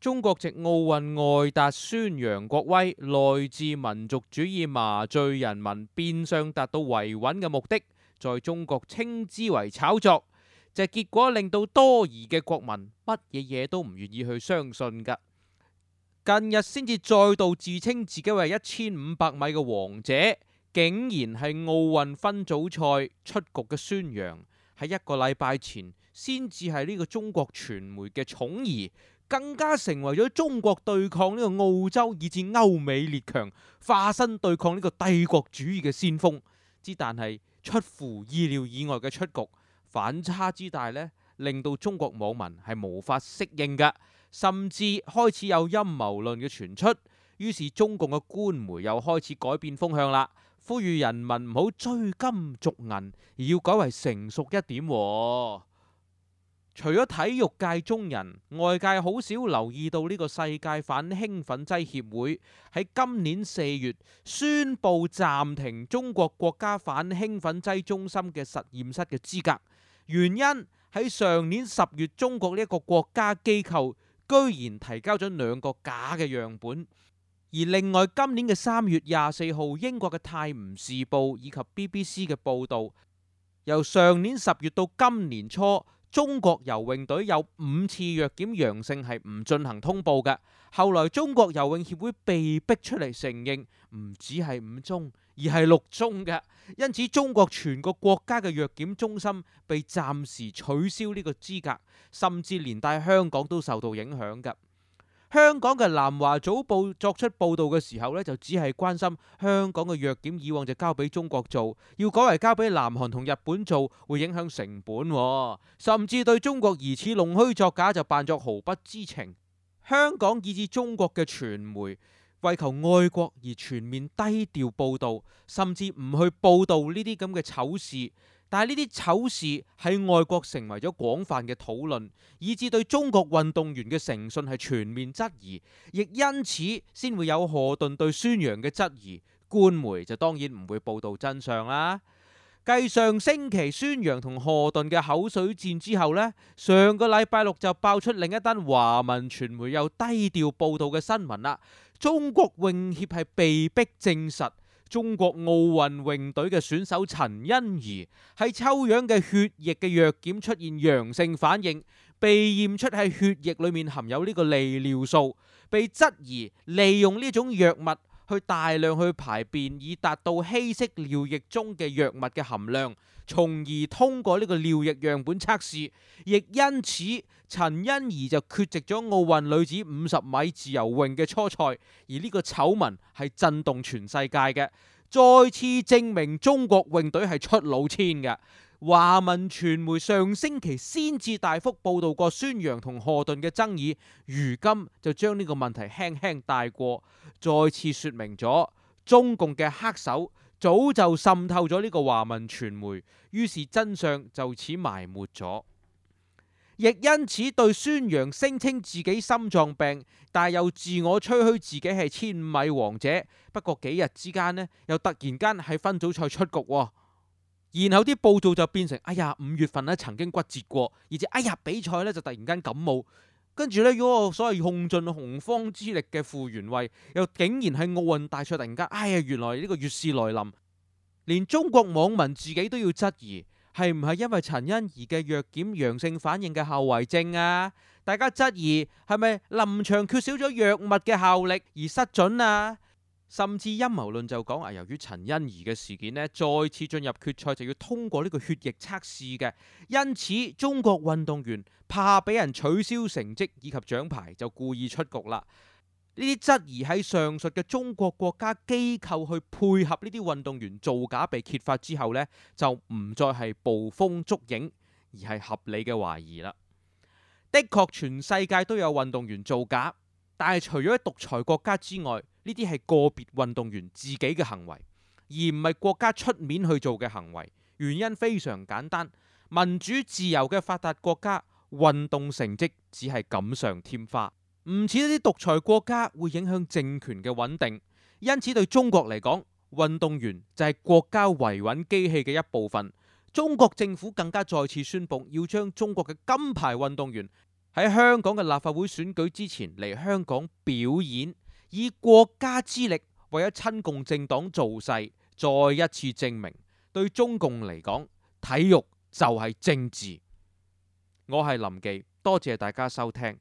中國籍奧運外達宣揚國威，內置民族主義麻醉人民，變相達到維穩嘅目的，在中國稱之為炒作，結果令到多疑嘅國民乜嘢嘢都唔願意去相信㗎。近日先至再度自稱自己為1500米嘅王者，竟然係奧運分組賽出局嘅宣揚，喺一個禮拜前先至係呢個中國傳媒嘅寵兒，更加成為咗中國對抗呢個澳洲以至歐美列強，化身對抗呢個帝國主義嘅先鋒。但係出乎意料以外嘅出局，反差之大呢，令到中國網民係無法適應㗎，甚至開始有陰謀論嘅傳出。於是中共嘅官媒又開始改變風向啦，呼籲人民唔好追金逐銀，而要改為成熟一點。除咗體育界中人，外界好少留意到呢個世界反興奮劑協會喺今年4月宣布暫停中國國家反興奮劑中心嘅實驗室嘅資格。原因喺上年10月，中國呢一個國家機構居然提交咗2個假嘅樣本。而另外今年嘅3月24號，英國嘅《泰晤士報》以及 BBC 嘅報導，由上年10月到今年初，中國游泳隊有5次藥檢陽性係唔進行通報嘅。後來中國游泳協會被逼出嚟承認，唔止係5宗，而係6宗嘅。因此中國全個國家嘅藥檢中心被暫時取消呢個資格，甚至連帶香港都受到影響嘅。香港嘅南華早報作出報導嘅時候呢，就只係關心香港嘅藥檢以往就交俾中國做，要改為交俾南韓同日本做，會影響成本，甚至對中國疑似弄虛作假就扮作毫不知情。香港以至中國嘅傳媒為求愛國而全面低調報導，甚至唔去報導呢啲咁嘅醜事。但係呢啲醜事喺外國成為咗廣泛嘅討論，以致對中國運動員嘅誠信係全面質疑，亦因此先會有賀頓對宣揚嘅質疑。官媒就當然唔會報導真相啦。繼上星期宣揚同賀頓嘅口水戰之後呢，上個禮拜六就爆出另一單華文傳媒又低調報導嘅新聞啦。中國泳協係被逼證實，中國奧運泳隊嘅選手陳欣怡喺抽樣嘅血液嘅藥檢出現陽性反應，被驗出喺血液裏面含有呢個利尿素，被質疑利用呢種藥物去大量去排便，以達到稀釋尿液中嘅藥物嘅含量，從而通過呢個尿液樣本測試。亦因此陳欣怡就缺席咗奧運女子50米自由泳嘅初賽，而呢個醜聞係震動全世界嘅，再次證明中國泳隊係出老千嘅。華文傳媒上星期先至大幅報導過宣揚同賀頓嘅爭議，如今就將呢個問題輕輕帶過，再次說明咗中共嘅黑手早就滲透咗呢個華文傳媒，於是真相就此埋沒咗。亦因此對宣揚聲稱自己心臟病，但又自我吹噓自己係1500米王者，不過幾日之間呢，又突然間喺分組賽出局喎。然後啲報道就變成5月份咧曾經骨折過，而且比賽咧就突然間感冒，跟住呢，嗰個所謂用盡洪荒之力嘅傅園慧，又竟然喺奧運大賽突然間原來呢個月事來臨，連中國網民自己都要質疑，係唔係因為陳欣怡嘅藥檢陽性反應嘅後遺症啊？大家質疑係咪臨場缺少咗藥物嘅效力而失準啊？甚至陰謀論就講由於陳欣怡嘅事件呢，再次進入決賽就要通過呢個血液測試嘅，因此中國運動員怕俾人取消成績以及獎牌，就故意出局啦。呢啲質疑喺上述嘅中國國家機構去配合呢啲運動員造假被揭發之後呢，就唔再係捕風捉影，而係合理嘅懷疑啦。的確全世界都有運動員造假，但係除咗喺獨裁國家之外，呢啲係個別運動員自己嘅行為，而唔係國家出面去做嘅行為。原因非常簡單，民主自由嘅發達國家，運動成績只係錦上添花，唔似一啲獨裁國家會影響政權嘅穩定。因此對中國嚟講，運動員就係國家維穩機器嘅一部分。中國政府更加再次宣布要將中國嘅金牌運動員喺香港嘅立法會選舉之前嚟香港表演，以國家之力為咗親共政黨造勢，再一次證明對中共嚟講，體育就係政治。我係林忌，多謝大家收聽。